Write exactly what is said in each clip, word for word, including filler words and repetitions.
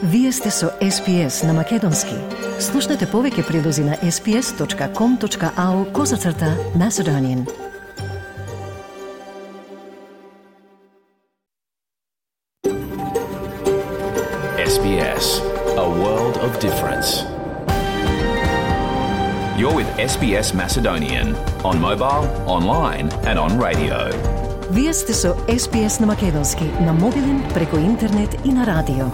Вие сте со Ес Би Ес на Македонски. Слушнете повеќе прилози на ес би ес точка ком точка ау козацрта Macedonian. Ес Би Ес, a world of difference. You're with Ес Би Ес Macedonian on mobile, online and on radio. Вие сте со Ес Би Ес на Македонски, на мобилен, преку интернет и на радио.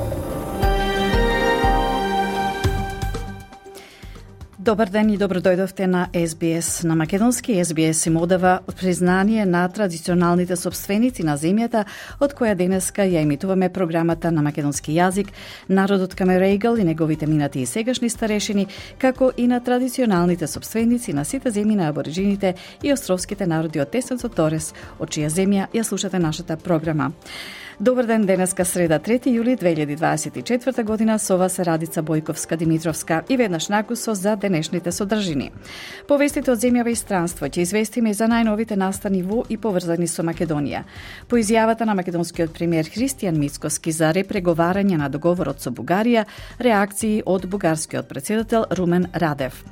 Добар ден и добро дојдовте на Ес Би Ес на Македонски. Ес Би Ес им одава признание на традиционалните собственици на земјата, од која денеска ја емитуваме програмата на македонски јазик, народот Камерејгал и неговите минати и сегашни старешини, како и на традиционалните собственици на сите земји на абориджините и островските народи од Тесенцот Торес, од чија земја ја слушате нашата програма. Добар ден, денеска среда трети јули две илјади дваесет и четврта година, со вас е Радица Бојковска-Димитровска и веднаш накусо за денешните содржини. По вестите од земјава и странство ќе известиме за најновите настани во и поврзани со Македонија. По изјавата на македонскиот премиер Христијан Мицкоски за репреговарање на договорот со Бугарија, реакции од бугарскиот претседател Румен Радев.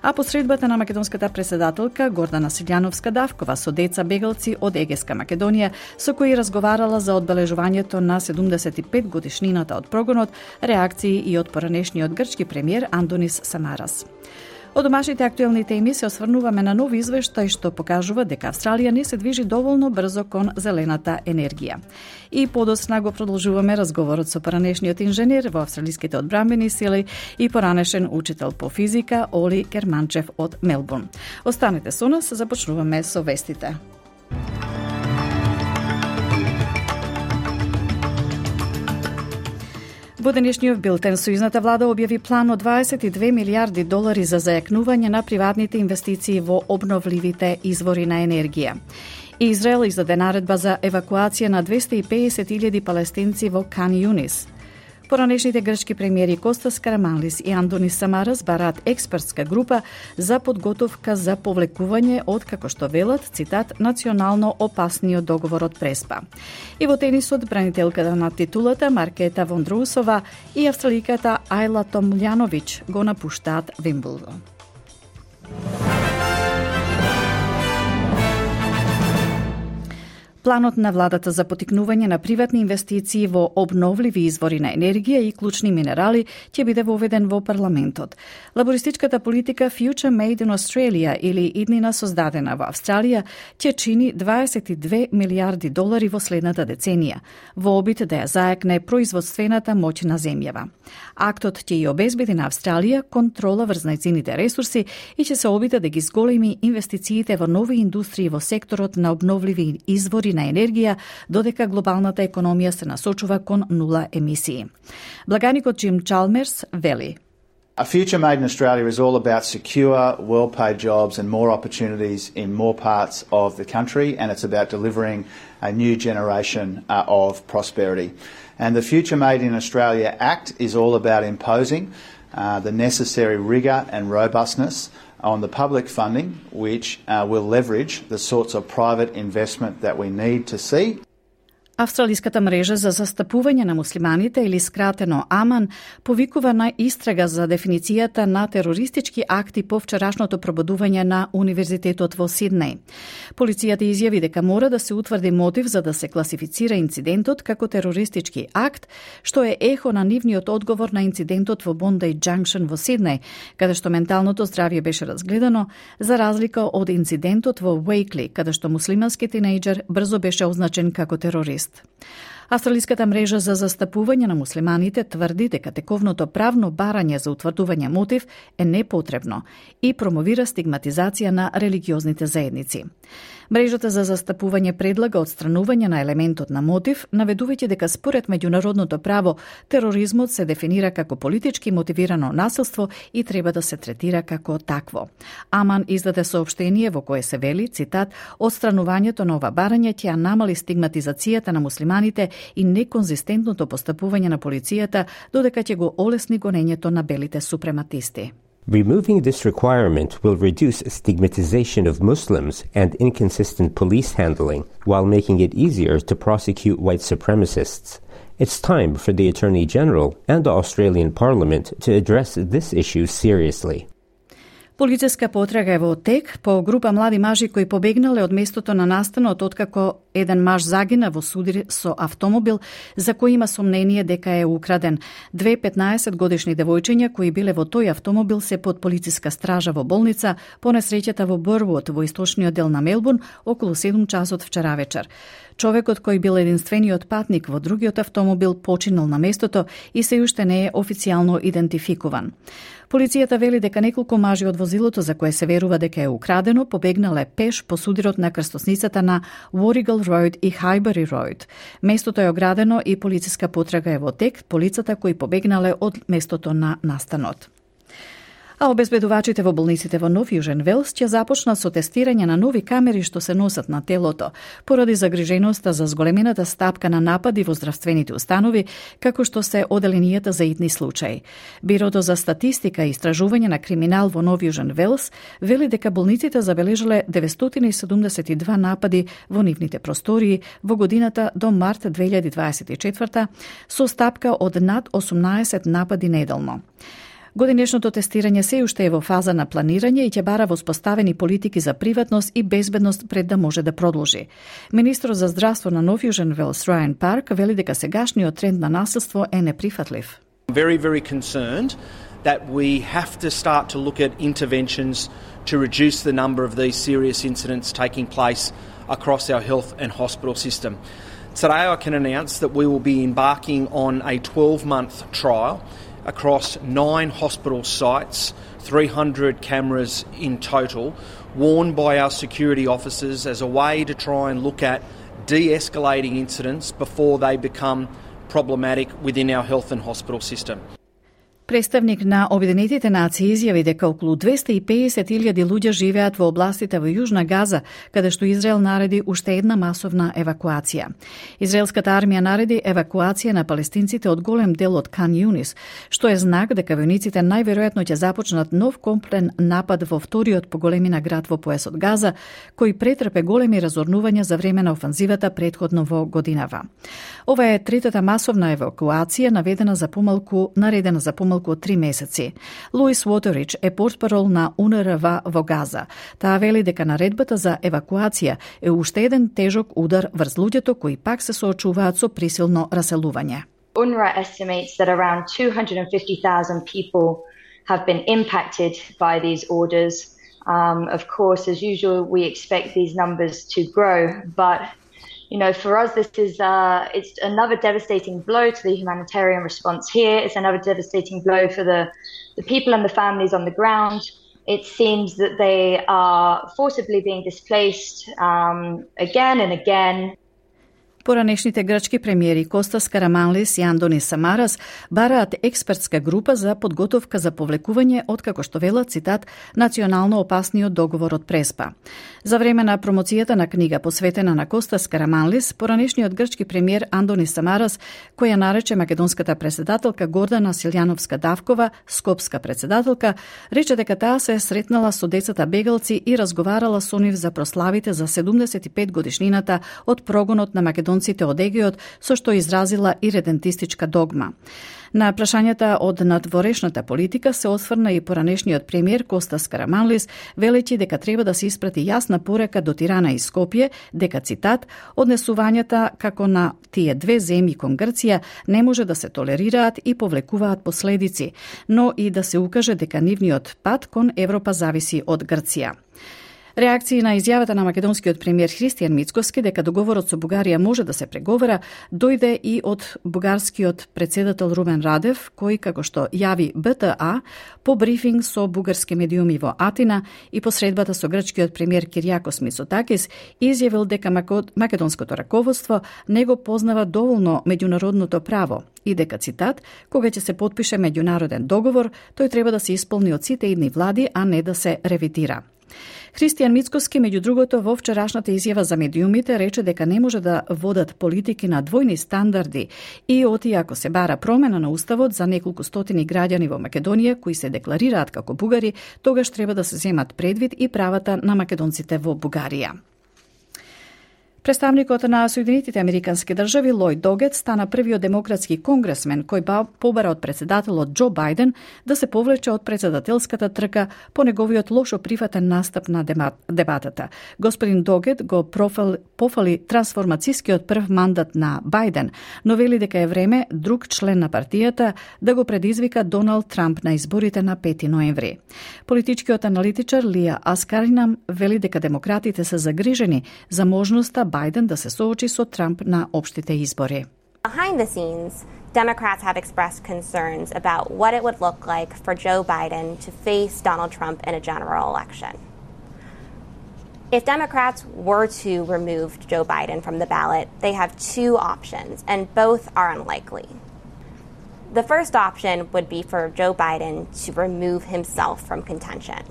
А посредбата на македонската претседателка Гордана Силјановска-Давкова со деца бегалци од Егеска Македонија, со кои разговарала за одбележувањето на седумдесет и пет годишнината од прогонот, реакции и од поранешниот грчки премиер Андонис Самарас. Од домашните актуелни теми се осврнуваме на нов извештај што покажува дека Австралија не се движи доволно брзо кон зелената енергија. И подосна го продолжуваме разговорот со поранешниот инженер во австралиските одбранбени сили и поранешен учител по физика Оли Керманчев од Мелбурн. Останете со нас, започнуваме со вестите. Во денешниот билтен сојузната влада објави план од дваесет и две милијарди долари за зајакнување на приватните инвестиции во обновливите извори на енергија. Израел издаде наредба за евакуација на двесте и педесет илјади палестинци во Кан Юнис. Поранешните грчки премиери Костас Караманлис и Андонис Самарас бараат експертска група за подготовка за повлекување од, како што велат, цитат, национално опасниот договор од Преспа. И во тенисот, бранителката на титулата Маркета Вондроусова и австраликата Ајла Томљановиќ го напуштаат Вимблдон. Планот на владата за потикнување на приватни инвестиции во обновливи извори на енергија и клучни минерали ќе биде воведен во парламентот. Лабористичката политика Future Made in Australia или иднина создадена во Австралија ќе чини дваесет и две милијарди долари во следната деценија, во обид да ја зајакне производствената моќ на земјава. Актот ќе ја обезбеди на Австралија контрола врз најцините ресурси и ќе се обиде да ги зголеми инвестициите во нови индустрии во секторот на обновливи извори на енергија, додека глобалната економија се насочува кон нула емисии. Благаникот Джим Чалмерс вели: A future made in Australia is all about secure, well-paid jobs and more opportunities in more parts of the country, and it's about delivering a new generation uh, of prosperity. And the Future Made in Australia Act is all about imposing uh, the necessary rigour and robustness on the public funding, which uh, will leverage the sorts of private investment that we need to see. Австралиската мрежа за застапување на муслиманите, или скратено АМАН, повикува на истрага за дефиницијата на терористички акти по вчерашното пробудување на Универзитетот во Сиднеј. Полицијата изјави дека мора да се утврди мотив за да се класифицира инцидентот како терористички акт, што е ехо на нивниот одговор на инцидентот во Bondi Junction во Сиднеј, каде што менталното здравје беше разгледано, за разлика од инцидентот во Уејкли, каде што муслимански тинејџер брзо беше означен како терорист. Австралиската мрежа за застапување на муслиманите тврди дека тековното правно барање за утврдување мотив е непотребно и промовира стигматизација на религиозните заедници. Мрежата за застапување предлага отстранување на елементот на мотив, наведувајќи дека според меѓународното право тероризмот се дефинира како политички мотивирано насилство и треба да се третира како такво. АМАН издаде соопштение во кое се вели, цитат, отстранувањето на ова барање ќе намали стигматизацијата на муслиманите и неконзистентното постапување на полицијата, додека ќе го олесни гонењето на белите супрематисти. Removing this requirement will reduce stigmatization of Muslims and inconsistent police handling while making it easier to prosecute white supremacists. It's time for the Attorney General and the Australian Parliament to address this issue seriously. Полициска потрага е во тек по група млади мажи кои побегнале од местото на настанот откако еден маж загина во судир со автомобил за кој има сомнение дека е украден. Две петнаесетгодишни девојчиња кои биле во тој автомобил се под полициска стража во болница по несреќата во Бървуд во источниот дел на Мелбурн околу седум часот вчера вечер. Човекот кој бил единствениот патник во другиот автомобил починал на местото и се уште не е официјално идентификуван. Полицијата вели дека неколку мажи од возилото за кое се верува дека е украдено побегнале пеш по судирот на крстосницата на Warrigal Road и Highbury Road. Местото е оградено и полициска потрага е во тек по лицата кои побегнале од местото на настанот. А обезбедувачите во болниците во Нов Јужен Велс ќе започнат со тестирање на нови камери што се носат на телото, поради загриженоста за зголемената стапка на напади во здравствените установи, како што се оделенијата за итни случаи. Бирото за статистика и истражување на криминал во Нов Јужен Велс вели дека болниците забележале деветстотини и седумдесет и два напади во нивните простории во годината до март две илјади дваесет и четврта, со стапка од над осумнаесет напади неделно. Годинешното тестирање се уште е во фаза на планирање и ќе бара воспоставени политики за приватност и безбедност пред да може да продолжи. Министрот за здравство на Нов Јужен Велс Райан Парк вели дека сегашниот тренд на насилство е неприфатлив. Very, very concerned that we have to start to look at interventions to reduce the number of these serious incidents taking place across our health and hospital system. Today I can announce that we will be embarking on a twelve-month trial across nine hospital sites, three hundred cameras in total, worn by our security officers as a way to try and look at de-escalating incidents before they become problematic within our health and hospital system. Представник на Обединетите нации изјави дека околу двесте и педесет илјади луѓе живеат во областите во Јужна Газа, каде што Израел нареди уште една масовна евакуација. Израелската армија нареди евакуација на палестинците од голем дел од Кан Јунис, што е знак дека војниците најверојатно ќе започнат нов комплен напад во вториот по големина град во поесот Газа, кој претрпе големи разорнувања за време на офанзивата претходно во годинава. Ова е третата масовна евакуација наведена за помалку, наредена за помалку од три месеци. Луис Уотерич е портпарол на У Н Р В во Газа. Таа вели дека наредбата за евакуација е уште еден тежок удар врз луѓето кои пак се соочуваат со присилно раселување. U N R W A estimates that around two hundred fifty thousand people have been impacted by these orders. Um, of course, as usual, we expect these numbers to grow, but you know, for us, this is uh, it's another devastating blow to the humanitarian response here. It's another devastating blow for the, the people and the families on the ground. It seems that they are forcibly being displaced um, again and again. Поранешните грчки премиери Костас Караманлис и Андонис Самарас бараат експертска група за подготовка за повлекување од, како што велат, цитат, национално опасниот договор од Преспа. За време на промоцијата на книга посветена на Костас Караманлис, поранешниот грчки премиер Андонис Самарас, која нарече македонската председателка Гордана Силјановска-Давкова скопска председателка, рече дека таа се сретнала со децата бегалци и разговарала со нив за прославите за седумдесет и пет годишнината од прогонот на македонците од Егеот, со што изразила иредентистичка догма. На прашањата од надворешната политика се осврна и поранешниот премиер Костас Караманлис, велејќи дека треба да се испрати јасна порека до Тирана и Скопје, дека, цитат, однесувањата како на тие две земји кон Грција не може да се толерираат и повлекуваат последици, но и да се укаже дека нивниот пат кон Европа зависи од Грција. Реакции на изјавата на македонскиот премиер Христијан Мицкоски дека договорот со Бугарија може да се преговара, дојде и од бугарскиот председател Румен Радев, кој, како што јави Б Т А, по брифинг со бугарски медиуми во Атина и по средбата со грчкиот премиер Киријакос Мицотакис, изјавил дека македонското раководство не го познава доволно меѓународното право и дека, цитат, кога ќе се потпише меѓународен договор, тој треба да се исполни од сите идни влади, а не да се ревитира. Христијан Мицкоски, меѓу другото, во вчерашната изјава за медиумите рече дека не може да водат политики на двојни стандарди и оти ако се бара промена на уставот за неколку стотини граѓани во Македонија кои се декларираат како бугари, тогаш треба да се земат предвид и правата на македонците во Бугарија. Представникот на Соединетите Американски држави Лојд Догет стана првиот демократски конгресмен кој побара од председателот Џо Бајден да се повлече од председателската трка по неговиот лошо прифатен настап на дебатата. Господин Догет го профали, пофали трансформацијскиот прв мандат на Бајден, но вели дека е време друг член на партијата да го предизвика Доналд Трамп на изборите на пети ноември. Политичкиот аналитичар Лија Аскаринам вели дека демократите се загрижени за можноста Бајден да се соочи со Трамп на општите избори. Behind the scenes, Democrats have expressed concerns about what it would look like for Joe Biden to face Donald Trump in a general election. If Democrats were to remove Joe Biden from the ballot, they have two options, and both are unlikely. The first option would be for Joe Biden to remove himself from contention.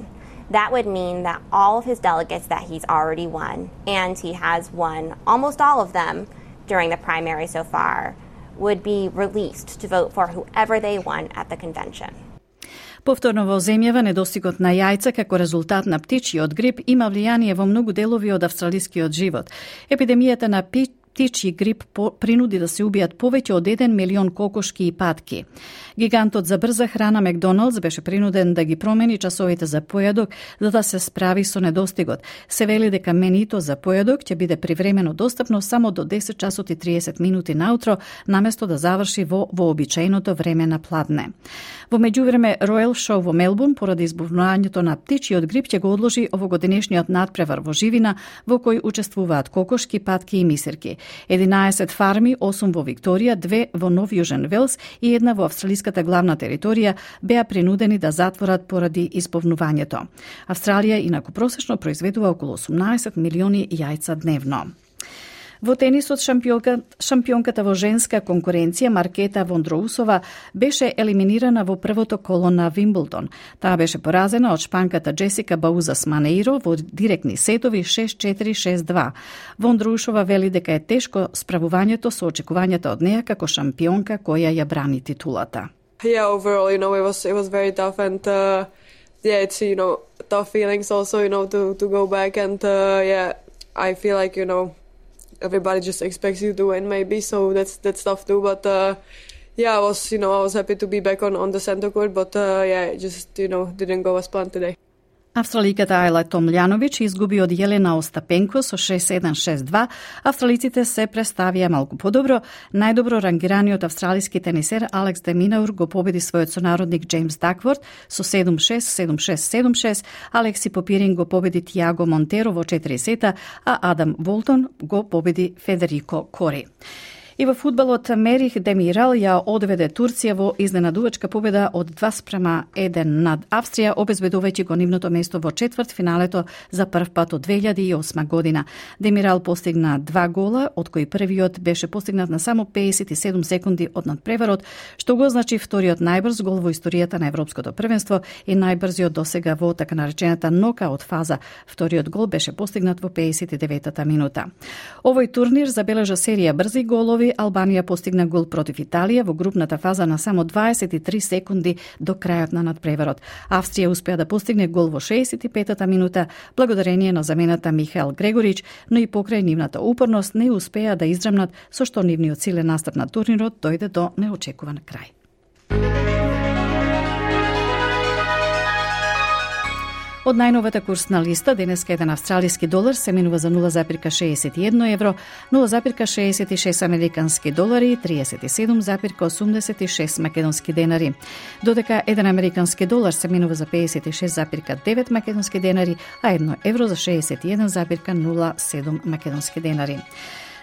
That would mean that all of his delegates that he's already won, and he has won almost all of them during the primary so far, would be released to vote for whoever they want at the convention. Повторно во земјава недостигот на јајца како резултат на птичјиот грип има влијание во многу делови од австралискиот живот. Епидемијата на птичји Птичји грип принуди да се убијат повеќе од еден милион кокошки и патки. Гигантот за брза храна Макдоналдс беше принуден да ги промени часовите за појадок за да се справи со недостигот. Се вели дека менито за појадок ќе биде привремено достапно само до десет часот и триесет минути наутро, наместо да заврши во вообичаеното време на пладне. Во меѓувреме, Ројал Шоу во Мелбурн поради избувнувањето на птичјиот грип ќе го одложи овогодинешниот надпревар во живина во кој учествуваат кокошки, патки и мисирки. единаесет фарми, осум во Викторија, две во Нов Јужен Велс и една во австралиската главна територија беа принудени да затворат поради избовнувањето. Австралија инаку просечно произведува околу осумнаесет милиони јајца дневно. Во тенисот шампионка, шампионката во женска конкуренција Маркета Вондроусова беше елиминирана во првото коло на Вимблдон. Таа беше поразена од шпанката Джесика Баузас Манеиро во директни сетови шест четири шест два. Вондроусова вели дека е тешко справувањето со очекувањата од неа како шампионка која ја брани титулата. Yeah, overall, you know, it was it was very tough and uh, yeah, it's you know tough feelings also, you know, to to go back and uh, yeah, I feel like you know. Everybody just expects you to win, maybe, so that's that's tough too. But uh, yeah, I was, you know, I was happy to be back on, on the center court, but uh, yeah, it just, you know, didn't go as planned today. Австраликата Ајла Томљановиќ изгуби од Јелена Остапенко со шест седам шест два. Австралиците се представија малку подобро. Најдобро рангираниот австралиски тенисер Алекс де Минаур го победи својот сонародник Џејмс Дакворд со седум шест седум шест седум шест. Алекси Попирин го победи Тиаго Монтеро во четири сета, а Адам Волтон го победи Федерико Кори. И во фудбалот Мерих Демирал ја одведе Турција во изненадувачка победа од два спрема еден над Австрија, обезбедувајќи го нивното место во четврт финалето за прв пат од две илјади и осма година. Демирал постигна два гола, од кои првиот беше постигнат на само педесет и седум секунди од надпреварот, што го означи вториот најбрз гол во историјата на Европското првенство и најбрзиот досега во така наречената нокаут фаза. Вториот гол беше постигнат во педесет и деветата минута. Овој турнир забележа серија брзи голови. Албанија постигна гол против Италија во групната фаза на само дваесет и три секунди до крајот на надпреварот. Австрија успеа да постигне гол во шеесет и петата минута благодарение на замената Михаел Грегорич, но и покрај нивната упорност не успеа да издрмнат, со што нивниот силен настап на турнирот дојде до неочекуван крај. Од најновата курсна листа, денеска еден австралиски долар се менува за нула запирка шеесет и едно евро, нула запирка шеесет и шест американски долари и триесет и седум запирка осумдесет и шест македонски денари. Додека еден американски долар се менува за педесет и шест запирка девет македонски денари, а едно евро за шеесет и еден запирка нула седум македонски денари.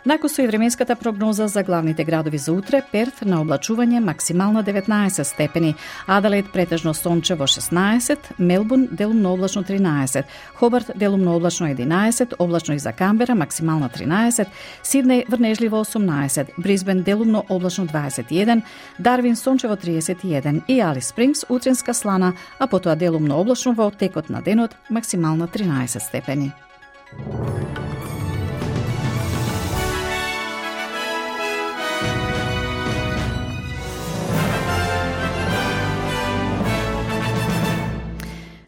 Накусо и временската прогноза за главните градови за утре: Перт на облачување максимална деветнаесет степени, Аделаид претежно сончево шеснаесет, Мелбурн делумно облачно тринаесет, Хобарт делумно облачно единаесет, облачно и за Камбера максимална тринаесет, Сиднеј врнежливо осумнаесет, Брисбен делумно облачно дваесет и еден, Дарвин сончево триесет и еден и Алис Спрингс утренска слана, а потоа делумно облачно во текот на денот максимална тринаесет степени.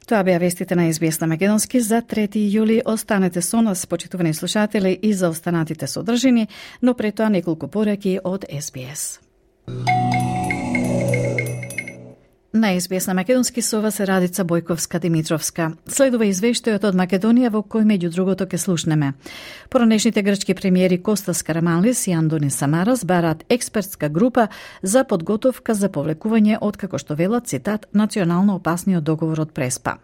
Тоа беа вестите на Ес Би Ес на Македонски за трети јули. Останете со нас, почитувани слушатели, и за останатите содржини, но пред тоа неколку пораки од Ес Би Ес. На Ес Би Ес на Македонски со вас е Радица Бојковска-Димитровска. Следува извештајот од Македонија во кој меѓу другото ке слушнеме. Поранешните грчки премиери Костас Караманлис и Андонис Самарас бараат експертска група за подготовка за повлекување од, како што велат, цитат, национално опасниот договор од Преспа.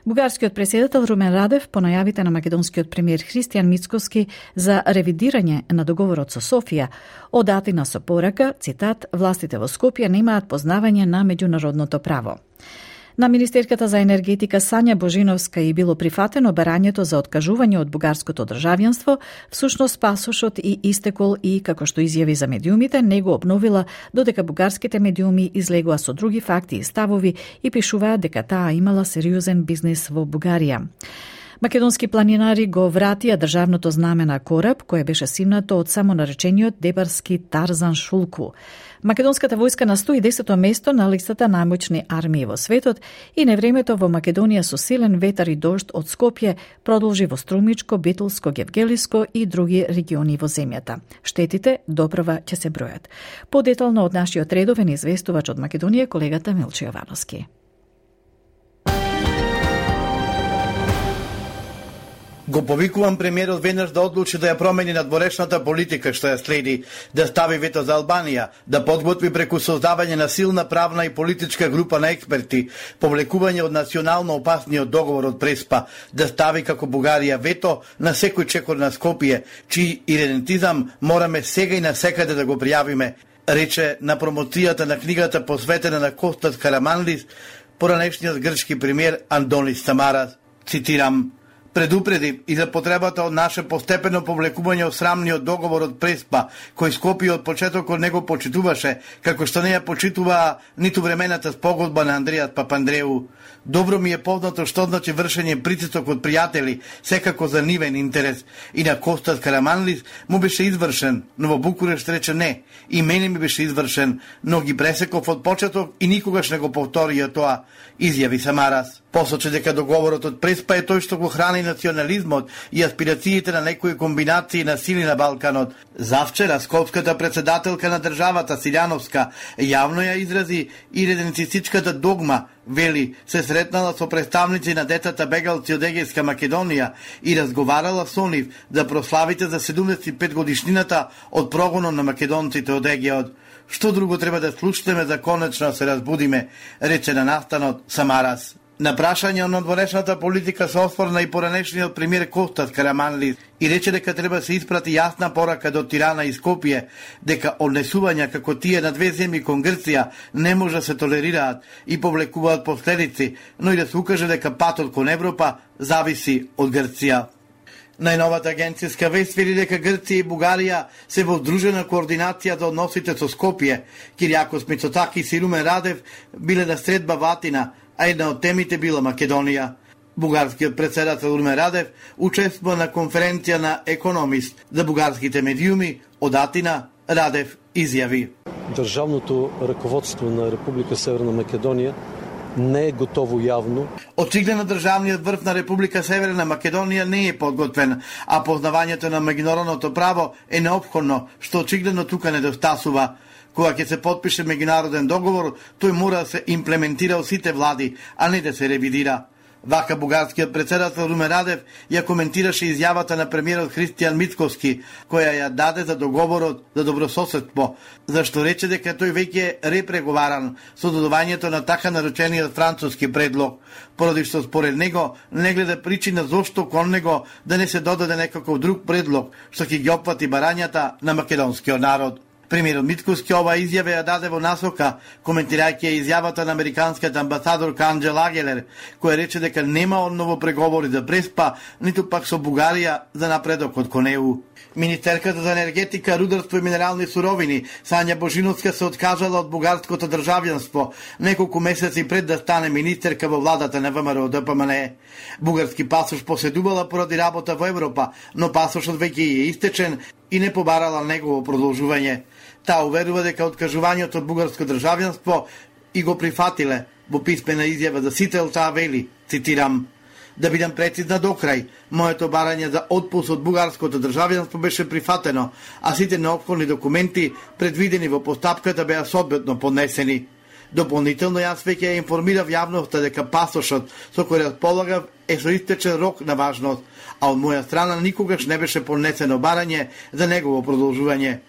Бугарскиот претседател Румен Радев по најавите на македонскиот премиер Христијан Мицкоски за ревидирање на договорот со Софија од Атина со порака, цитат, властите во Скопје немаат познавање на меѓународното право. На министерката за енергетика Сања Божиновска и било прифатено барањето за откажување од бугарското државјанство, всушност пасошот и истекол и, како што изјави за медиумите, не го обновила додека бугарските медиуми излегоа со други факти и ставови и пишуваат дека таа имала сериозен бизнис во Бугарија. Македонски планинари го вратија државното знаме на кораб, кој беше симнато од самонаречениот дебарски Тарзан Шулку. Македонската војска на сто и десето место на листата најмоćни армии во светот и невремето во Македонија со силен ветар и дожд од Скопје продолжи во Струмичко, Битолско, Гевгелиско и други региони во земјата. Штетите допрва ќе се бројат. Подетално од нашиот редовен известувач од Македонија, колегата Милчо Јовановски. Го повикувам премиерот веднаш да одлучи да ја промени надворешната политика што ја следи, да стави вето за Албанија, да подготви преку создавање на силна правна и политичка група на експерти, повлекување од национално опасниот договор од Преспа, да стави како Бугарија вето на секој чекор на Скопје, чиј идентизам мораме сега и насекаде да го пријавиме, рече на промоцијата на книгата посветена на Костас Караманлис, поранешниот грчки премиер Андонис Самарас. Цитирам: предупреди и за потребата од наше постепено повлекување од срамниот договор од Преспа, кој Скопје од почетокот не го почитуваше, како што не ја почитуваа ниту времената спогодба на Андрејас Папандреу. Добро ми е познато што значи вршење притисок од пријатели, секако за нивен интерес, и на Костас Караманлис му беше извршен, но во Букурешт рече не, и мене ми беше извршен, но ги пресеков од почеток и никогаш не го повторија тоа, изјави Самарас. Посочи дека договорот од Преспа е тој што го храни национализмот и аспирациите на некои комбинации на сили на Балканот. Завчера скопската председателка на државата Силјановска јавно ја изрази и реденцистичката догма, вели, се сретнала со представници на децата бегалци од Егејска Македонија и разговарала со нив за прославите за седумдесет и пет годишнината од прогонот на македонците од Егејот. Што друго треба да слушнеме за конечно се разбудиме, рече на настанот Самарас. На прашање од надворешната политика се осврна и поранешниот премиер Костас Караманлис и рече дека треба се испрати јасна порака до Тирана и Скопје, дека однесувања како тие на две земји кон Грција не може да се толерираат и повлекуваат последици, но и да се укаже дека патот кон Европа зависи од Грција. Најновата агенцијска вест вели дека Грција и Бугарија се во здружена координација за односите со Скопје. Киријакос Мицотакис и Румен Радев биле на средба во Атина, а една од темите била Македонија. Бугарскиот претседател Румен Радев учествува на конференција на Економист за бугарските медиуми од Атина. Радев изјави: државното раководство на Република Северна Македонија не е готово јавно. Очигледно државниот врв на Република Северна Македонија не е подготвен, а познавањето на меѓународното право е неопходно, што очигледно тука недостасува. Кога ќе се подпише меѓународен договор, тој мора да се имплементира од сите влади, а не да се ревидира. Вака бугарскиот председател Румен Радев ја коментираше изјавата на премиерот Христијан Мицковски, која ја даде за договорот за добрососедство, зашто рече дека тој веќе е репреговаран со додавањето на така наречениот француски предлог, поради што според него не гледа причина зошто кон него да не се додаде некаков друг предлог што ќе ги опфати барањата на македонскиот народ. Премиерот Мицковски ова изјава ја даде во насока, коментирајќи ја изјавата на американскиот амбасадорка Анџела Агелер, која рече дека нема одново преговори за Преспа, ниту пак со Бугарија за напредокот кон Е У. Министерката за енергетика, рударство и минерални суровини Сања Божиновска се откажала од бугарското државјанство неколку месеци пред да стане министерка во владата на ВМРО Д П М Н. Бугарски пасош поседувала поради работа во Европа, но пасошот веќе е истечен и не побарала негово продолжување. Таа уверува дека откажувањето од бугарско државјанство и го прифатиле. Во писмена изјава за Сител таа вели, цитирам: "Да бидам прецизна до крај, моето барање за отпуст од бугарското државјанство беше прифатено, а сите неопходни документи предвидени во постапката беа соодветно поднесени. Дополнително јас веќе ја информирав јавноста дека пасошот со кој располагав е со истечен рок на важност, а од моја страна никогаш не беше поднесено барање за негово продолжување.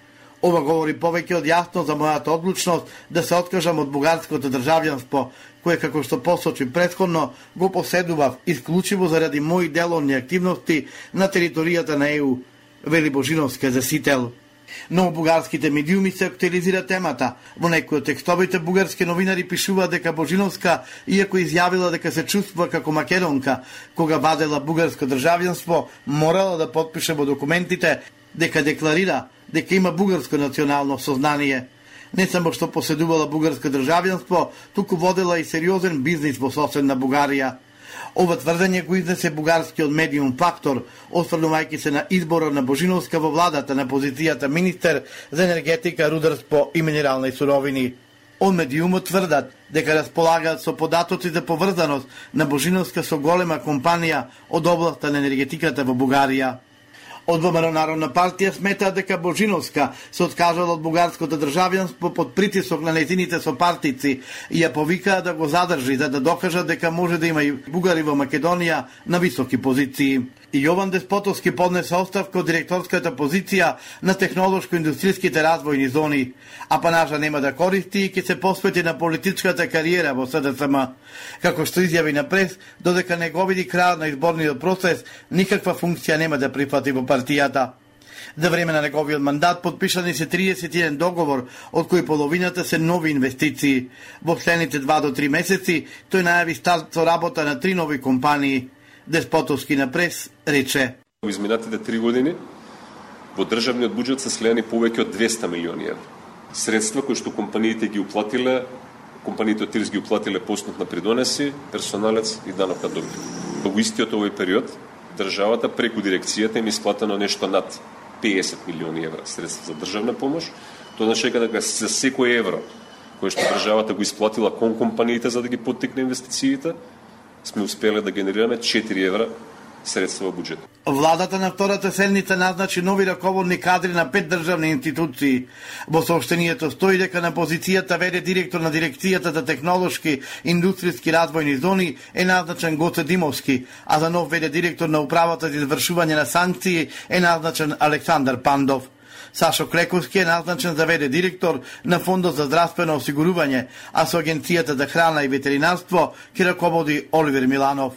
Ова говори повеќе од јасно за мојата одлучност да се откажам од бугарското државјанство, кое, како што посочи претходно, го поседував исклучиво заради мои деловни активности на територијата на Е У", вели Божиновска за Сител. Но бугарските медиуми се актуализира темата. Во некои од текстовите бугарски новинари пишуваат дека Божиновска, иако изјавила дека се чувствува како македонка, кога вадела бугарско државјанство, морала да потпише во документите дека декларира дека има бугарско национално сознание. Не само што поседувала бугарско државјанство, туку водела и сериозен бизнис во соседна Бугарија. Ова тврдење го изнесе бугарскиот медиум Фактор, осврнувајќи се на изборот на Божиновска во владата на позицијата министер за енергетика, рударство и минерални суровини. Од медиумот тврдат дека располагаат со податоци за поврзаност на Божиновска со голема компанија од областта на енергетиката во Бугарија. Од ВМРО Народна партија сметаат дека Божиновска се откажала од бугарското државјанство под притисок на нејзините сопартици и ја повикаа да го задржи за да докажат дека може да има и бугари во Македонија на високи позиции. И Јован Деспотовски поднесе оставка од директорската позиција на технолошко-индустријските развојни зони, а панажа нема да користи и ќе се посвети на политичката кариера во С Д С М. Како што изјави на прес, додека не го види крајот на изборниот процес, никаква функција нема да прифати во партијата. За време на неговиот мандат подпишани се триесет и еден договор, од кои половината се нови инвестиции. Во следните два до три месеци тој најави старт со работа на три нови компании. Деспотовски на прес рече: Во изминатите три години во државниот буџет се слеани повеќе од двесте милиони евра. Средства кои што компаниите ги уплатиле, компаниите од ТИРС ги уплатиле по основ на придонеси, персоналец и данок на добив. Во истиот овој период државата преку дирекцијата им исплатено нешто над педесет милиони евра средства за државна помош. Тоа значи дека за секој евро кој што државата го исплатила кон компаниите за да ги поттикне инвестициите, сме успеле да генерираме четири евра средства во буџет. Владата на втората седница назначи нови раководни кадри на пет државни институции. Во соопштението стои дека на позицијата веде директор на дирекцијата за технолошки индустријски развојни зони е назначен Гоце Димовски, а за нов веде директор на управата за извршување на санкции е назначен Александар Пандов. Сашо Клековски е назначен за веде директор на Фондот за здравствено осигурување, а со Агенцијата за храна и ветеринарство ќе раководи Оливер Миланов.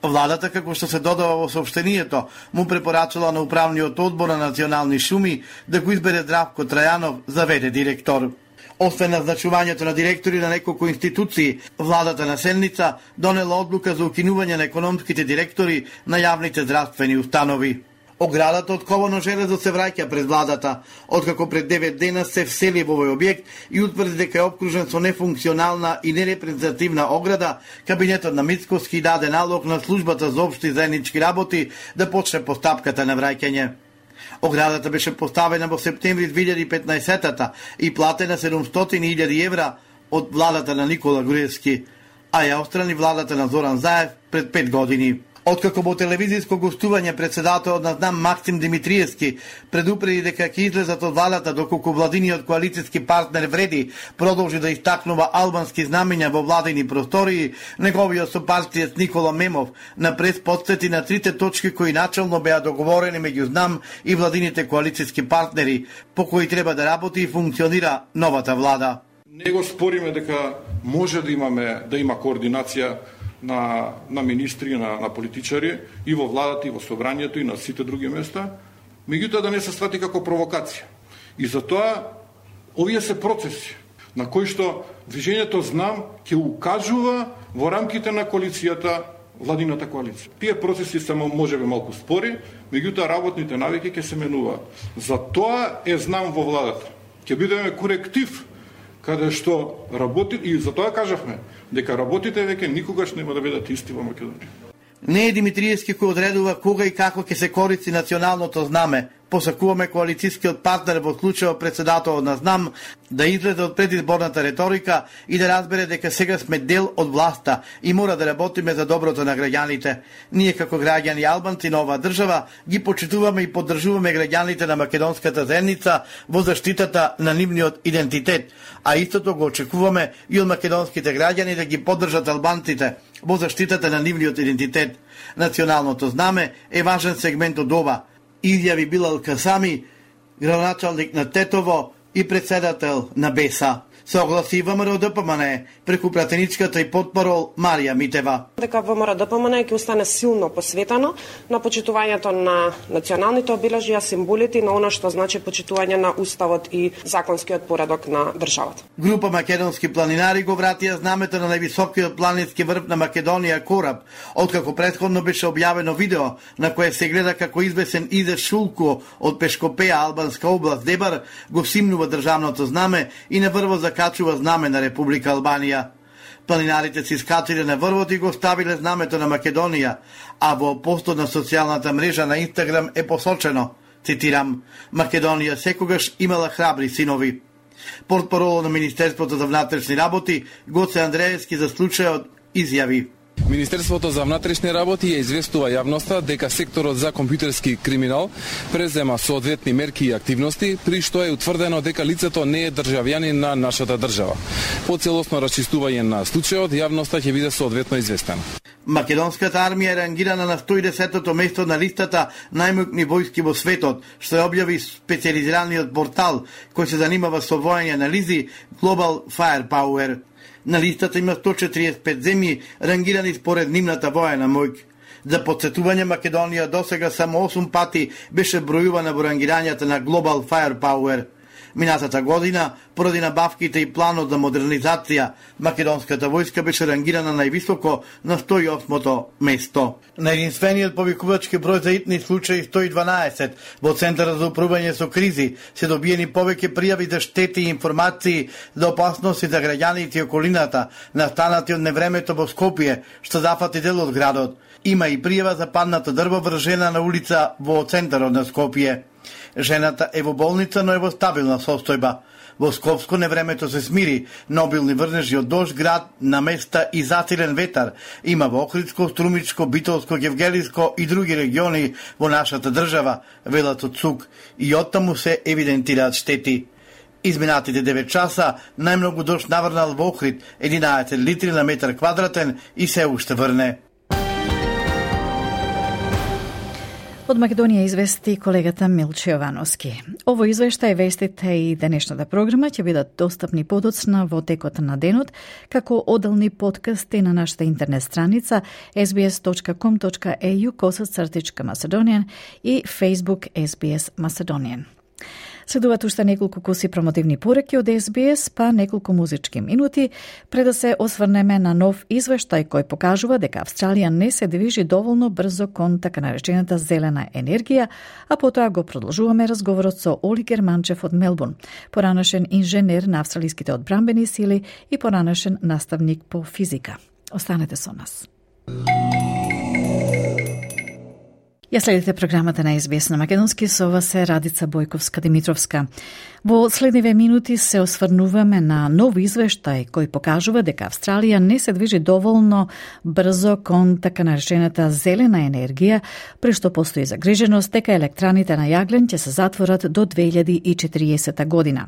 Владата, како што се додава во соопштението, му препорачала на управниот одбор на национални шуми да го избере Здравко Трајанов за веде директор. Освен назначувањето на директори на неколку институции, владата на седница донела одлука за укинување на економските директори на јавните здравствени установи. Оградата од ковано железо се враќа пред владата, откако пред девет дена се всели во овој објект и утврди дека е обкружен со нефункционална и нерепрезентативна ограда. Кабинетот на Мицковски даде налог на службата за општи заеднички работи да почне постапката на враќање. Оградата беше поставена во септември две илјади и петнаесета и платена седумстотини илјади евра од владата на Никола Груевски, а ја острани владата на Зоран Заев пред пет години. Откако во телевизиско гостување председателот на ЗНАМ Максим Димитриевски предупреди дека ќе излезат од владата доколку владиниот коалицијски партнер Вреди продолжи да истакнува албански знамења во владини простории, неговиот сопартиец Никола Мемов на прес потсети на трите точки кои начално беа договорени меѓу ЗНАМ и владините коалицијски партнери, по кои треба да работи и функционира новата влада. Не го спориме дека може да имаме да има координација на на министри, на на политичари и во владата и во собранието и на сите други места, меѓутоа да не се свати како провокација. И затоа овие се процеси на кои што движењето ЗНАМ ќе укажува во рамките на коалицијата, владината коалиција. Тие процеси се можеби малку спори, меѓутоа работните навики ќе се менуваат. Затоа е ЗНАМ во владата. Ќе бидеме коректив каде што работи, и затоа кажавме дека работите веќе никогаш нема да бидат исти во Македонија. Не е Димитриевски кој одредува кога и како ќе се користи националното знаме. Посакуваме коалицијскиот партнер во случајот председателот на ЗНАМ да излезе од предизборната реторика и да разбере дека сега сме дел од власта и мора да работиме за доброто на граѓаните. Ние како граѓани албанци на оваа држава ги почитуваме и поддржуваме граѓаните на македонската заедница во заштитата на нивниот идентитет, а истото го очекуваме и од македонските граѓани да ги поддржат албанците во заштитата на нивниот идентитет. Националното знаме е важен сегмент од ова, изјави Билал Касами, градоначалник на Тетово и председател на БЕСА. Се огласи ВМРО ДПМН преку пратеничката и потпорол Марија Митева. Дека ВМРО ДПМН ќе остане силно посветено на почитувањето на националните обележја, символите и на она што значи почитување на уставот и законскиот поредок на државата. Група македонски планинари го вратија знамето на највисокиот планински врв на Македонија Кораб, откако претходно беше објавено видео на кое се гледа како извесен Изе Шулко од Пешкопеја, албанска област Дебар, го симнува државното знаме и на врвот закачува знаме на Република Албанија. Планинарите се искачиле на врвот и го ставиле знамето на Македонија, а во постот на социјалната мрежа на Инстаграм е посочено, цитирам, Македонија секогаш имала храбри синови. Портпаролот на Министерството за внатрешни работи Гоце Андреевски за случајот изјави: Министерството за внатрешни работи ја известува јавноста дека секторот за компјутерски криминал презема соодветни мерки и активности, при што е утврдено дека лицето не е државјанин на нашата држава. По целосно расчистување на случајот, јавноста ќе биде соодветно известена. Македонската армија е рангирана на сто и десетото место на листата најмокни војски во светот, што ја објави специализираниот портал кој се занимава со војни анализи Global Firepower. На листата има сто четириесет и пет земји рангирани според нивната воена моќ. За подсетување, Македонија досега само осум пати беше бројувана во рангирањата на Global Firepower. Минатата година, поради набавките и планот за модернизација, македонската војска беше рангирана највисоко на сто и осмото место. На единствениот повикувачки број за итни случаи сто и дванаесет во Центарот за управување со кризи се добиени повеќе пријави за штети и информации за опасности за граѓаните и околината, настанати од невремето во Скопје, што зафати дел од градот. Има и пријава за паднато дрво врз жена на улица во центарот на Скопје. Жената е во болница, но е во стабилна состојба. Во Скопско невремето се смири, но обилни врнежи од дожд, град на места и засилен ветар има во Охридско, Струмичко, Битолско, Гевгелиско и други региони во нашата држава, велат од ЦУК, и оттаму се евидентираат штети. Изминатите девет часа најмногу дожд наврнал во Охрид, единаесет литри на метар квадратен и се уште врне. Од Македонија извести колегата Милче Јовановски. Ово извештај, вестите и денешната програма ќе бидат достапни подоцна во текот на денот, како оделни подкасти на нашата интернет страница ес би ес точка ком точка е ю косацртичка Macedonian и Facebook ес би ес Macedonian. Следуваат уште неколку куси промотивни пореки од ес би ес, па неколку музички минути, пред да се осврнеме на нов извештај кој покажува дека Австралија не се движи доволно брзо кон така наречената зелена енергија, а потоа го продолжуваме разговорот со Оли Германчев од Мелбурн, поранешен инженер на австралиските одбранбени сили и поранешен наставник по физика. Останете со нас. Ја следите програмата на ес би ес на македонски, со ова се Радица Бојковска-Димитровска. Во следниве минути се осврнуваме на нов извештај кој покажува дека Австралија не се движи доволно брзо кон така наречената зелена енергија, при што постои загриженост дека електраните на јаглен ќе се затворат до две илјади и четириесета година.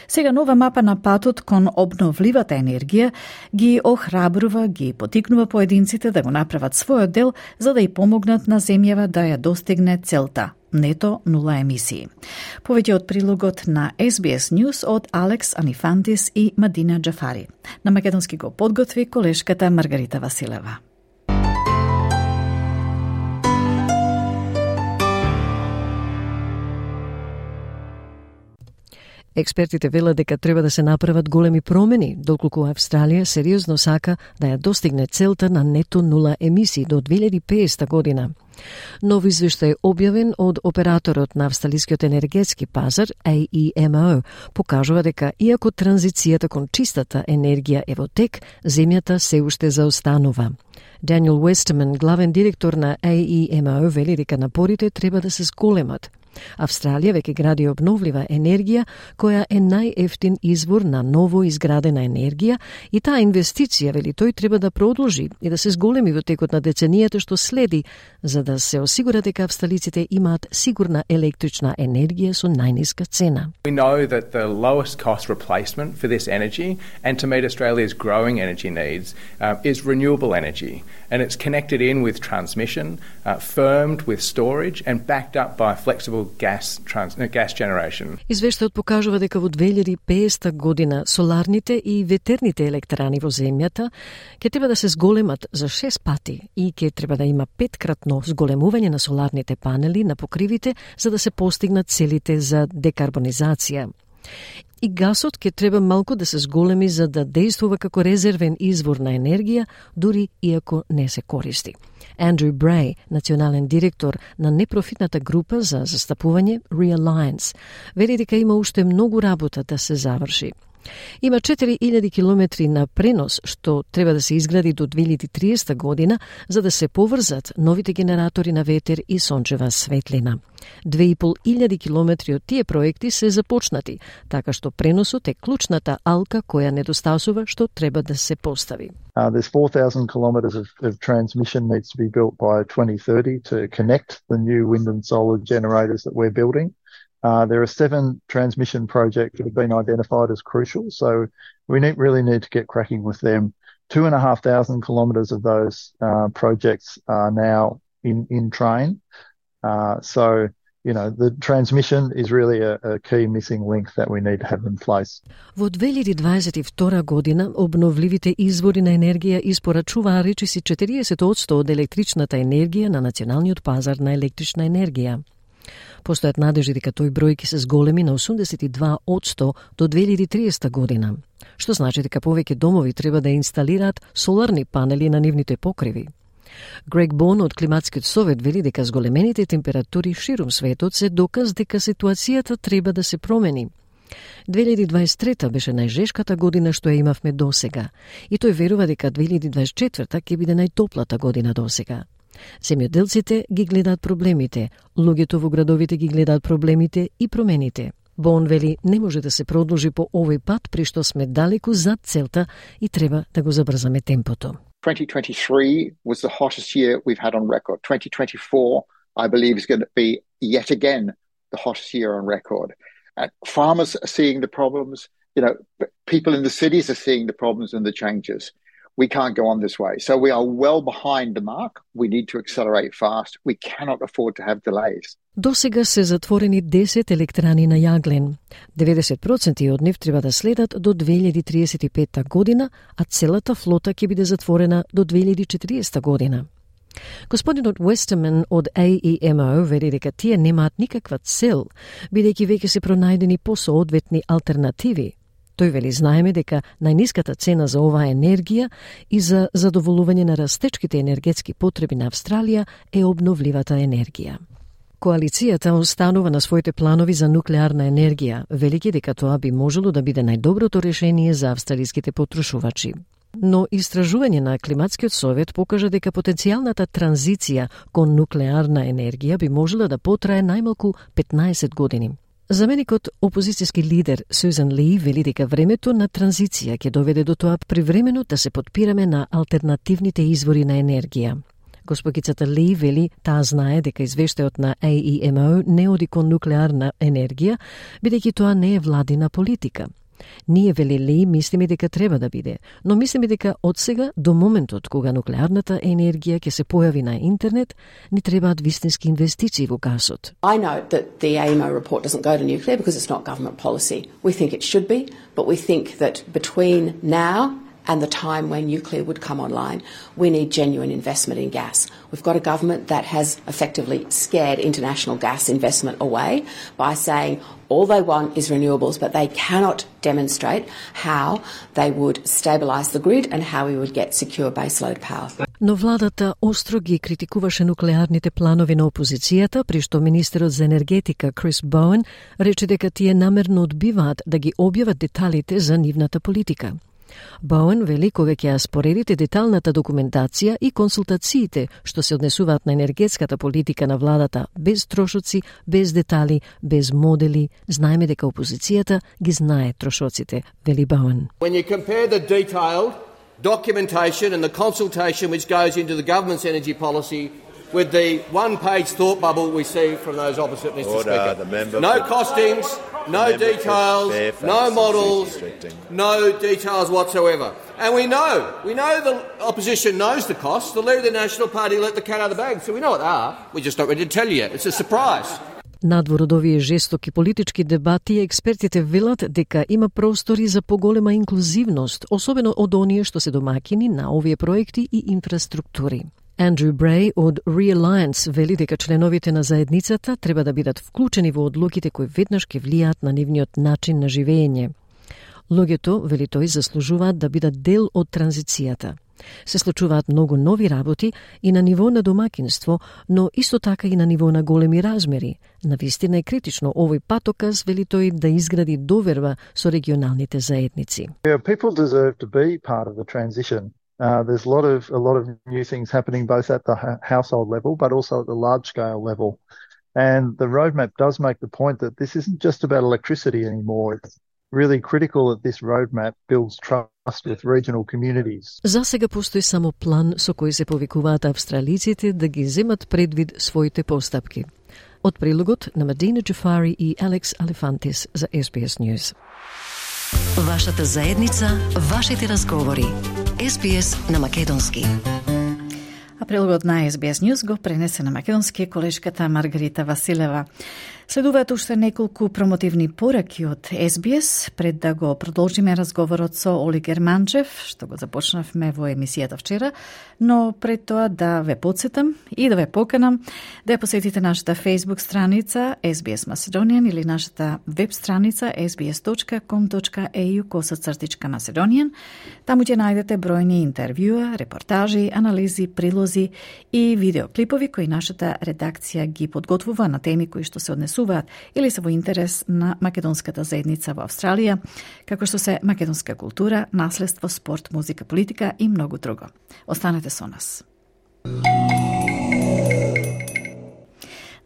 Сега нова мапа на патот кон обновливата енергија ги охрабрува, ги потикнува поединците да го направат својот дел за да ја помогнат на земјава да ја достигне целта нето нула емисии. Повеќе од прилогот на Ес Би Ес News од Алекс Анифантис и Мадина Джафари. На македонски го подготви колешката Маргарита Василева. Експертите велат дека треба да се направат големи промени, доколку Австралија сериозно сака да ја достигне целта на нето нула емисии до две илјади и педесета година. Нов извештај објавен од операторот на австралискиот енергетски пазар А И Ем О покажува дека иако транзицијата кон чистата енергија е во тек, земјата се уште заостанува. Даниел Уестерман, главен директор на А И Ем О, вели дека напорите треба да се зголемат. Австралија веќе гради обновлива енергија, која е најефтин извор на ново изградена енергија и таа инвестиција, вели тој, треба да продолжи и да се зголеми во текот на деценијата што следи, за да се осигура дека австралиците имаат сигурна електрична енергија со најниска цена. We know that the lowest cost replacement for this energy and to meet Australia's growing energy needs uh, is renewable energy, and it's connected in with transmission, uh, firmed with storage and backed up by flexible gas trans, gas generation. Извештајот покажува дека во две илјади и педесета година соларните и ветерните електрани во земјата ќе треба да се зголемат за шест пати и ќе треба да има петкратно зголемување на соларните панели на покривите за да се постигнат целите за декарбонизација. И гасот ќе треба малку да се зголеми за да действува како резервен извор на енергија, дури иако не се користи. Андрю Брей, национален директор на непрофитната група за застапување Realliance, вели дека има уште многу работа да се заврши. Има четири илјади километри на пренос што треба да се изгради до две илјади и триесета година за да се поврзат новите генератори на ветер и сончева светлина. Две и пол илјади километри од тие проекти се започнати, така што преносот е клучната алка која недостасува што треба да се постави. Uh, there's four thousand kilometres of, of transmission needs to be built by twenty thirty to connect the new wind and solar generators that we're building. Uh, there are seven transmission projects that have been identified as crucial, so we need, really need to get cracking with them. Two and a half thousand kilometres of those uh, projects are now in, in train. Uh, so, you know, the transmission is really a, a key missing link that we need to have in place. Во две илјади дваесет и втора година обновливите извори на енергија испорачуваа речиси четириесет одсто од електричната енергија на националниот пазар на електрична енергија. Постојат надежди дека тој број ќе се зголеми на осумдесет и два одсто до две илјади и триесета година, што значи дека повеќе домови треба да инсталираат соларни панели на нивните покриви. Грег Бон од Климатскиот совет вели дека зголемените температури ширум светот се доказ дека ситуацијата треба да се промени. две илјади и дваесет и трета беше најжешката година што ја имавме досега, и тој верува дека две илјади и дваесет и четврта ќе биде најтоплата година досега. Земјоделците ги гледаат проблемите, луѓето во градовите ги гледаат проблемите и промените. Бон вели не може да се продолжи по овој пат при што сме далеку зад целта и треба да го забрзаме темпото. twenty twenty-three was the hottest year we've had on record. twenty twenty-four, I believe, is going to be yet again the hottest year on record. And farmers are seeing the problems. You know, people in the cities are seeing the problems and the changes. We can't go on this way. So we are well behind the mark. We need to accelerate fast. We cannot afford to have delays. До сега се затворени десет електрани на јаглен. деветдесет проценти од нив треба да следат до две илјади и триесет и петта година, а целата флота ќе биде затворена до две илјади и четириесета година. Господинот Уестерман од А И Ем О вели дека тие немаат никаква цел, бидејќи веќе се пронајдени посоодветни алтернативи. Тој вели знаеме дека најниската цена за оваа енергија и за задоволување на растечките енергетски потреби на Австралија е обновливата енергија. Коалицијата останува на своите планови за нуклеарна енергија, велики дека тоа би можело да биде најдоброто решение за австралиските потрошувачи. Но истражување на Климатскиот совет покажа дека потенцијалната транзиција кон нуклеарна енергија би можела да потрае најмалку петнаесет години. Заменикот опозицијски лидер Сюзан Ли вели дека времето на транзиција ќе доведе до тоа привремено да се подпираме на алтернативните извори на енергија. Госпогицата Ли вели таа знае дека извештајот на А И Ем О не оди кон нуклеарна енергија, бидејќи тоа не е владина политика. Ние, вели Ли, мислиме дека треба да биде, но мислиме дека од сега до моментот кога нуклеарната енергија ќе се појави на интернет, ни требаат вистински инвестиции во гасот. I note that the A E M O report doesn't go to nuclear because it's not government policy. We think it should be, but we think that between now and the time when nuclear would come online, we need genuine investment in gas. We've got a government that has effectively scared international gas investment away by saying all they want is renewables, but they cannot demonstrate how they would stabilise the grid and how we would get secure baseload power. Но владата остро ги критикуваше нуклеарните планови на опозицијата, при што министерот за енергетика Крис Боуен рече дека тие намерно одбиваат да ги објават деталите за нивната политика. Боуен вели кога ќе ја споредите деталната документација и консултациите што се однесуваат на енергетската политика на владата без трошоци, без детали, без модели, знаеме дека опозицијата ги знае трошоците, вели Боуен. When you compare the detailed documentation and the consultation which goes into the government's energy policy with the one-page thought bubble we see from those opposite, Mister Order, Speaker. No costings, no details, no models, no details whatsoever. And we know, we know the opposition knows the costs. The leader of the National Party let the cat out of the bag, so we know what they are. We're just not ready to tell you yet. It's a surprise. Надвор од овие жестоки политички дебати, експертите велат дека има простори за поголема инклузивност, особено од оние што се домаќини на овие проекти и инфраструктури. Андрю Брей од Realliance вели дека членовите на заедницата треба да бидат вклучени во одлуките кои веднаш ќе влијаат на нивниот начин на живење. Луѓето, вели тој, заслужуваат да бидат дел од транзицијата. Се случуваат многу нови работи и на ниво на домакинство, но исто така и на ниво на големи размери. Навистина е критично овој патоказ, вели тој, да изгради доверба со регионалните заедници. People deserve to be part of the transition. Uh, there's a lot of a lot of new things happening both at the ha- household level, but also at the large scale level. And the roadmap does make the point that this isn't just about electricity anymore. It's really critical that this roadmap builds trust with regional communities. За сега постои само план со кој се повикуваат австралиците да ги земат предвид своите постапки. Од прилогот на Медина Джафари и Алекс Алефантис за Ес Би Ес News. Вашата заедница, вашите разговори. Ес Би Ес на македонски. А прилогот на Ес Би Ес News го пренесе на македонски колешката Маргарита Василева. Следуваат уште неколку промотивни пораки од Ес Би Ес пред да го продолжиме разговорот со Оли Германчев, што го започнавме во емисијата вчера, но пред тоа да ве подсетам и да ве поканам да ја посетите нашата Facebook страница Ес Би Ес Macedonian или нашата веб страница ес би ес точка ком точка е ю косацртичка Macedonian. Таму ќе најдете бројни интервјуа, репортажи, анализи, прилози и видеоклипови кои нашата редакција ги подготвува на теми кои што се однесуваат или се во интерес на македонската заедница во Австралија, како што се македонска култура, наследство, спорт, музика, политика и многу друго. Останете со нас.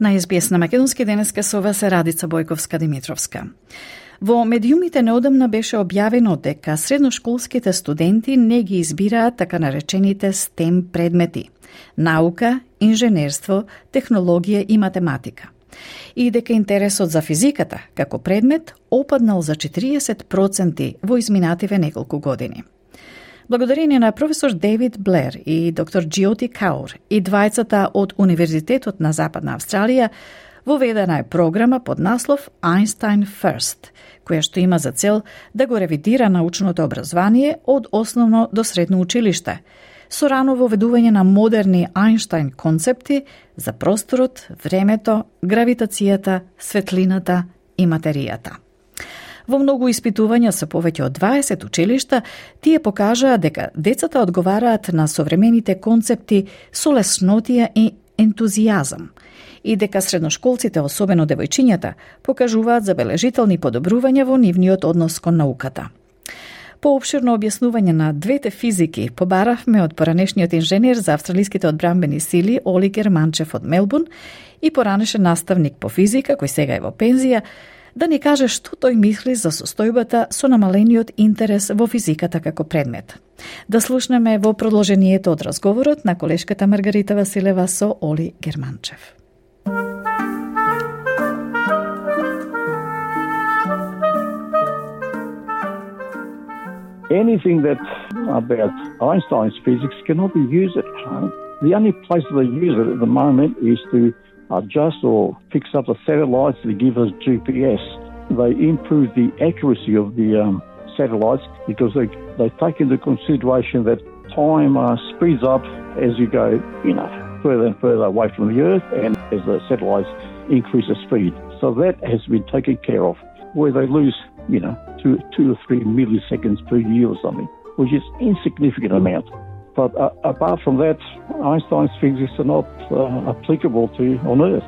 На Ес Би Ес на македонски денеска со вас е Радица Бојковска-Димитровска. Во медиумите неодамна беше објавено дека средношколските студенти не ги избираат така наречените стем предмети – наука, инженерство, технологија и математика. И дека интересот за физиката како предмет опаднал за четириесет проценти во изминативе неколку години. Благодарение на професор Дейвид Блер и доктор Джиоти Каур и двајцата од Универзитетот на Западна Австралија, воведена е програма под наслов Einstein First, која што има за цел да го ревидира научното образование од основно до средно училиште, со рано воведување на модерни Einstein концепти за просторот, времето, гравитацијата, светлината и материјата. Во многу испитувања со повеќе од дваесет училишта, тие покажаа дека децата одговараат на современите концепти со леснотија и ентузијазам и дека средношколците, особено девојчињата, покажуваат забележителни подобрувања во нивниот однос кон науката. По обширно објаснување на двете физики побаравме од поранешниот инженер за австралиските одбранбени сили Оли Германчев од Мелбурн и поранешен наставник по физика, кој сега е во пензија, да ни каже што тој мисли за состојбата со намалениот интерес во физиката како предмет. Да слушнеме во продолжението од разговорот на колешката Маргарита Василева со Оли Германчев. Anything that about Einstein's physics cannot be used at home. The only place they use it at the moment is to adjust or fix up the satellites that give us G P S. They improve the accuracy of the um, satellites because they, they take into consideration that time uh, speeds up as you go, you know, further and further away from the Earth and as the satellites increase the speed. So that has been taken care of, where they lose, you know, two, two or three milliseconds per year or something, which is insignificant amount. But uh, apart from that, Einstein's physics are not uh, applicable to on Earth.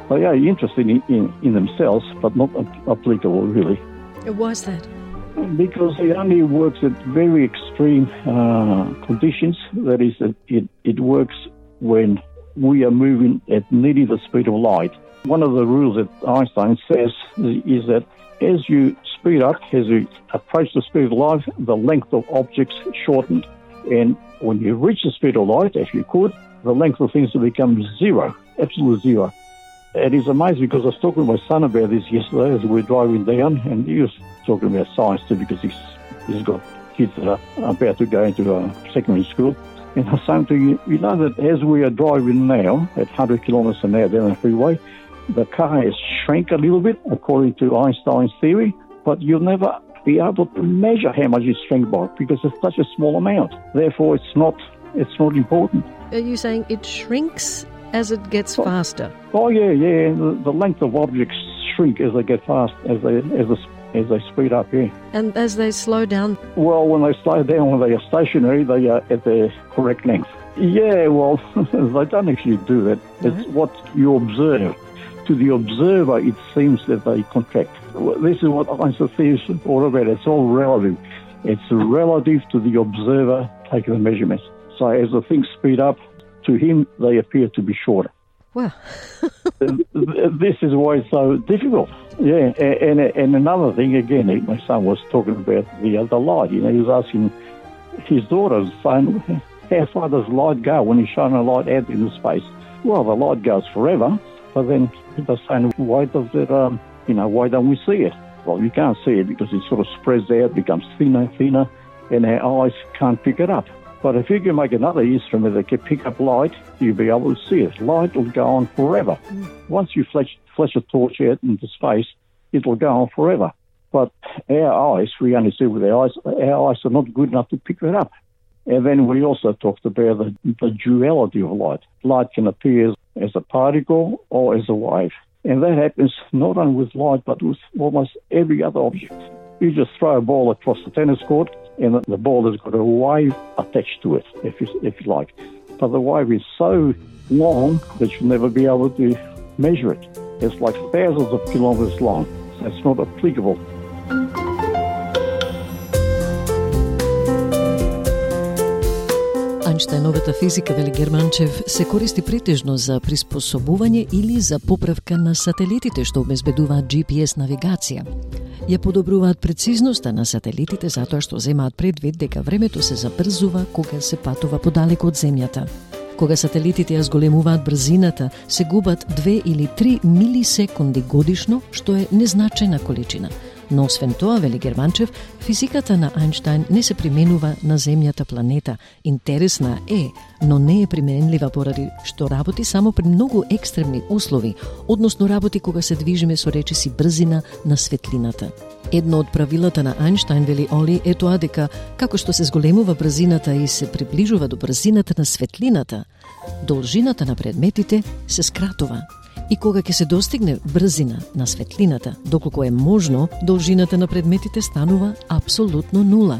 They are interesting in, in, in themselves, but not applicable really. Why is that? Because it only works at very extreme uh, conditions. That is, that it, it works when we are moving at nearly the speed of light. One of the rules that Einstein says is that as you speed up, as you approach the speed of light, the length of objects shortened. And when you reach the speed of light, if you could, the length of things will become zero, absolute zero. It is amazing because I was talking to my son about this yesterday as we were driving down, and he was talking about science too because he's, he's got kids that are about to go into a secondary school. And I was saying to you, you know that as we are driving now at one hundred kilometres an hour down the freeway, the car has shrank a little bit according to Einstein's theory, but you'll never be able to measure how much it's shrank by because it's such a small amount. Therefore, it's not it's not important. Are you saying it shrinks as it gets oh, faster? Oh yeah, yeah. The, the length of objects shrink as they get fast, as they as they, as they speed up. Yeah. And as they slow down? Well, when they slow down, when they are stationary, they are at their correct length. Yeah, well, they don't actually do that. It's right. What you observe. To the observer, it seems that they contract. This is what Einstein theory is all about. It's all relative. It's relative to the observer taking the measurements. So as the things speed up, to him, they appear to be shorter. Wow. This is why it's so difficult. Yeah, and, and another thing, again, my son was talking about the other light. You know, he was asking his daughter, saying, how far does light go when you shine a light out into space? Well, the light goes forever, but then they're saying, why does it, um, you know, why don't we see it? Well, you can't see it because it sort of spreads out, becomes thinner, thinner, and our eyes can't pick it up. But if you can make another instrument that can pick up light, you'll be able to see it. Light will go on forever. Mm. Once you flash, flash a torch out into space, it will go on forever. But our eyes, we only see with our eyes, our eyes are not good enough to pick it up. And then we also talked about the, the duality of light. Light can appear as a particle or as a wave. And that happens not only with light, but with almost every other object. You just throw a ball across the tennis court, and the ball has got a wave attached to it, if you, if you like. But the wave is so long that you'll never be able to measure it. It's like thousands of kilometres long, so it's not applicable. Einsteiновата физика, вели Германчев, се користи претежно за приспособување или за поправка на сателитите што обезбедуваат Джи Пи Ес навигација. Ја подобруваат прецизноста на сателитите затоа што земаат предвид дека времето се забрзува кога се патува подалеку од земјата. Кога сателитите ја зголемуваат брзината, се губат две или три милисекунди годишно, што е незначајна количина. Но освен тоа, вели Германчев, физиката на Einstein не се применува на земјата планета. Интересна е, но не е применлива поради што работи само при многу екстремни услови, односно работи кога се движиме со речиси брзина на светлината. Едно од правилата на Einstein, вели Оли, е тоа дека како што се зголемува брзината и се приближува до брзината на светлината, должината на предметите се скратува. И кога ќе се достигне брзина на светлината, доколку е можно, должината на предметите станува апсолутно нула.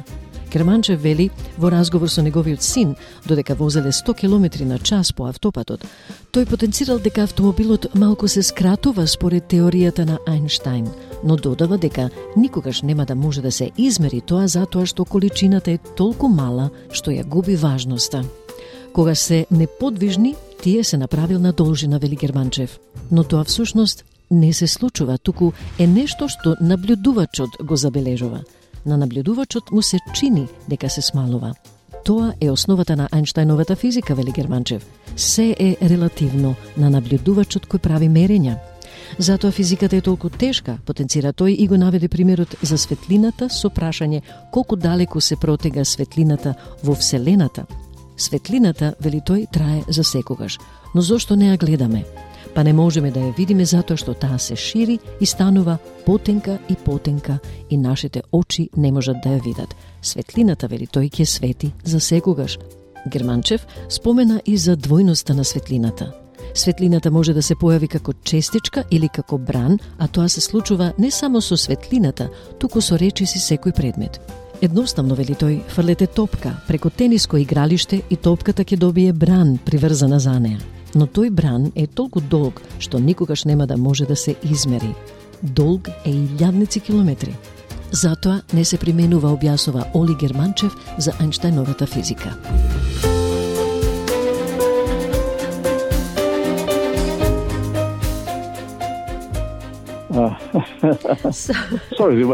Германчев вели во разговор со неговиот син, додека возеле сто километри на час по автопатот, тој потенцирал дека автомобилот малку се скратува според теоријата на Einstein, но додава дека никогаш нема да може да се измери тоа затоа што количината е толку мала што ја губи важноста. Кога се неподвижни, тие се направил на должина, вели Германчев. Но тоа всушност не се случува, туку е нешто што наблюдувачот го забележува. На наблюдувачот му се чини дека се смалува. Тоа е основата на Ајнштајновата физика, вели Германчев. Се е релативно на наблюдувачот кој прави мерења. Затоа физиката е толку тешка, потенцира тој и го наведе примерот за светлината со прашање колку далеку се протега светлината во Вселената. Светлината, вели тој, трае за секогаш, но зошто не ја гледаме? Па не можеме да ја видиме затоа што таа се шири и станува потенка и потенка и нашите очи не можат да ја видат. Светлината, вели тој, ќе свети за секогаш. Германчев спомена и за двојноста на светлината. Светлината може да се појави како честичка или како бран, а тоа се случува не само со светлината, туку со речиси секој предмет. Едноставно, вели тој, фрлете топка преку тениско игралиште и топката ќе добие бран приврзана за неа. Но тој бран е толку долг што никогаш нема да може да се измери. Долг е илјадници километри. Затоа не се применува, објаснува Оли Германчев за Ајнштајновата физика. Uh, sorry,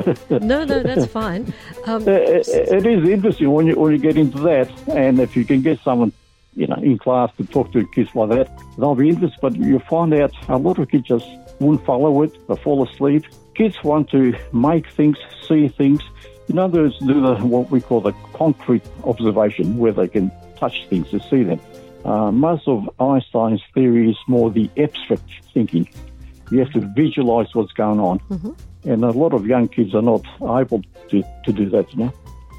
no, no, that's fine. Um, it, it is interesting when you when you get into that, and if you can get someone, you know, in class to talk to kids like that, they'll be interested. But you find out a lot of kids just won't follow it; they fall asleep. Kids want to make things, see things. In other words, do the what we call the concrete observation, where they can touch things to see them. Uh, most of Einstein's theory is more the abstract thinking. You have to visualize what's going on. Mm-hmm. And a lot of young kids are not able to, to do that, you know.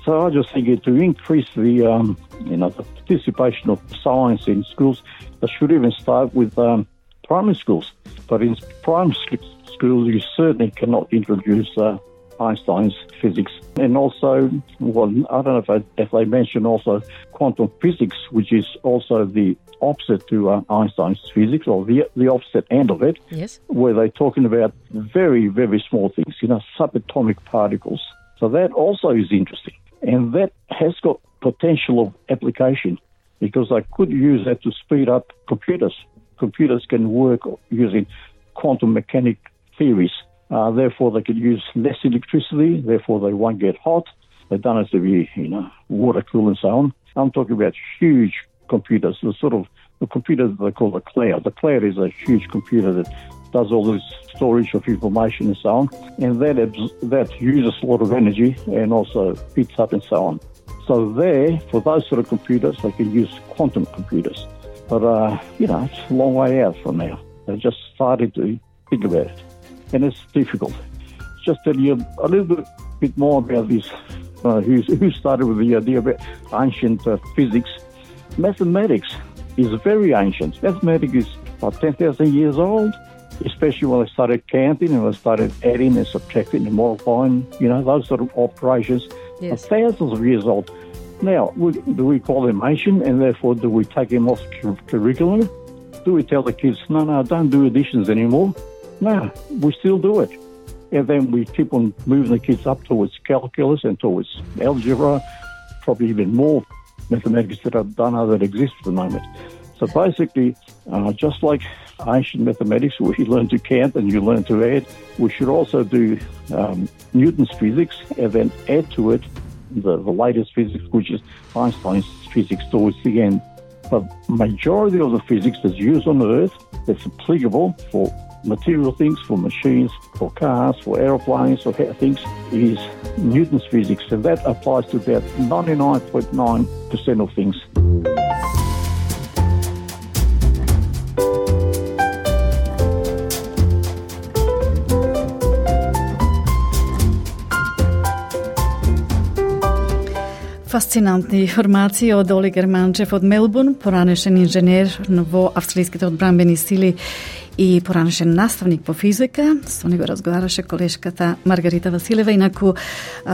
So I just think to increase the, um, you know, the participation of science in schools, they should even start with um, primary schools. But in primary schools, you certainly cannot introduce uh, Einstein's physics. And also, well, I don't know if, I, if they mention also quantum physics, which is also the opposite to uh, Einstein's physics, or the the opposite end of it, yes, where they're talking about very, very small things, you know, subatomic particles. So that also is interesting. And that has got potential of application, because they could use that to speed up computers. Computers can work using quantum mechanic theories. Uh, therefore, they could use less electricity, therefore they won't get hot. They don't have to be, you know, water cool and so on. I'm talking about huge computers, the sort of the computer that they call the cloud. The cloud is a huge computer that does all this storage of information and so on, and that that uses a lot of energy and also heats up and so on. So there, for those sort of computers, they can use quantum computers. But, uh, you know, it's a long way out from now. They're just starting to think about it, and it's difficult. Just tell you a little bit, bit more about this, uh, who, who started with the idea about ancient uh, physics. Mathematics is very ancient. Mathematics is about ten thousand years old, especially when they started counting and they started adding and subtracting and multiplying, you know, those sort of operations yes. are thousands of years old. Now, do we call them ancient, and therefore do we take them off curriculum? Do we tell the kids, no, no, don't do additions anymore? No, we still do it. And then we keep on moving the kids up towards calculus and towards algebra, probably even more mathematics that I don't know that exist at the moment. So basically, uh, just like ancient mathematics, where you learn to count and you learn to add, we should also do um, Newton's physics and then add to it the, the latest physics, which is Einstein's physics towards the end. But majority of the physics that's used on Earth, that's applicable for material things, for machines, for cars, for aeroplanes, for things, is Newton's physics. And that applies to about ninety-nine point nine percent of things. Фасцинантни информации од Оли Германчев од Мелбурн, поранешен инженер во австралиските одбранбени сили и поранешен наставник по физика. Со него разговараше колешката Маргарита Василева. Инаку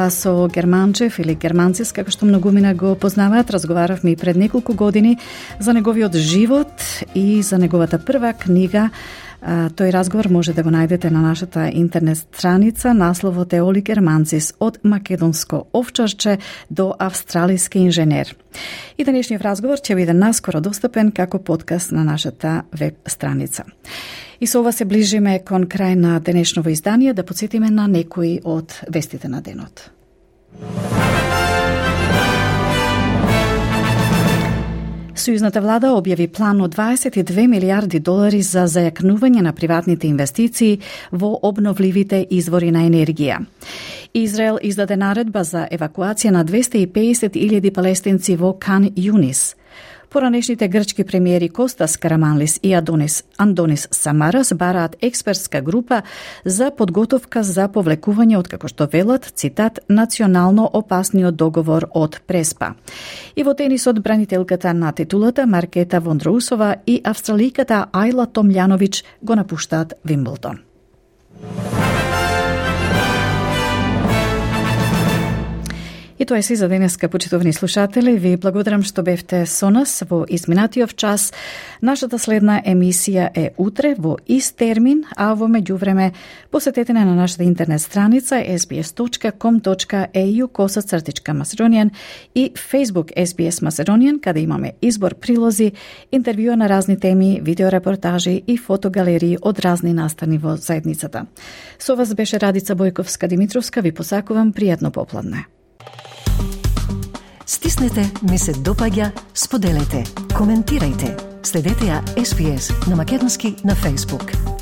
со Германчев или Германцис, како што многумина го познаваат, разговаравме и пред неколку години за неговиот живот и за неговата прва книга Тој разговор може да го најдете на нашата интернет страница. Насловот е Оли Германцис од македонско овчарче до австралиски инженер. И денешниот разговор ќе биде наскоро достапен како подкаст на нашата веб страница. И со ова се ближиме кон крај на денешново издание, да подсетиме на некои од вестите на денот. Сојузната влада објави план од дваесет и две милиарди долари за зајакнување на приватните инвестиции во обновливите извори на енергија. Израел издаде наредба за евакуација на двесте и педесет илјади палестинци во Кан Юнис. Поранешните грчки премиери Костас Караманлис и Адонис, Андонис Самарас бараат експертска група за подготовка за повлекување од, како што велат, цитат, национално опасниот договор од Преспа. И во тенисот бранителката на титулата Маркета Вондроусова и австраликата Ајла Томљановиќ го напуштаат Вимблдон. И тоа е се за денеска, почитувани слушатели. Ви благодарам што бевте со нас во изминатиот час. Нашата следна емисија е утре во ист термин, а во меѓувреме посетете на нашата интернет страница ес би ес точка ком точка е ю косацртичка Macedonian и Facebook ес би ес Macedonian, каде имаме избор прилози, интервјуа на разни теми, видеорепортажи и фотогалерии од разни настани во заедницата. Со вас беше Радица Бојковска-Димитровска. Ви посакувам пријатно попладне. Стиснете, ми се допаѓа, споделете, коментирајте. Следете ја ес би ес на македонски на Facebook.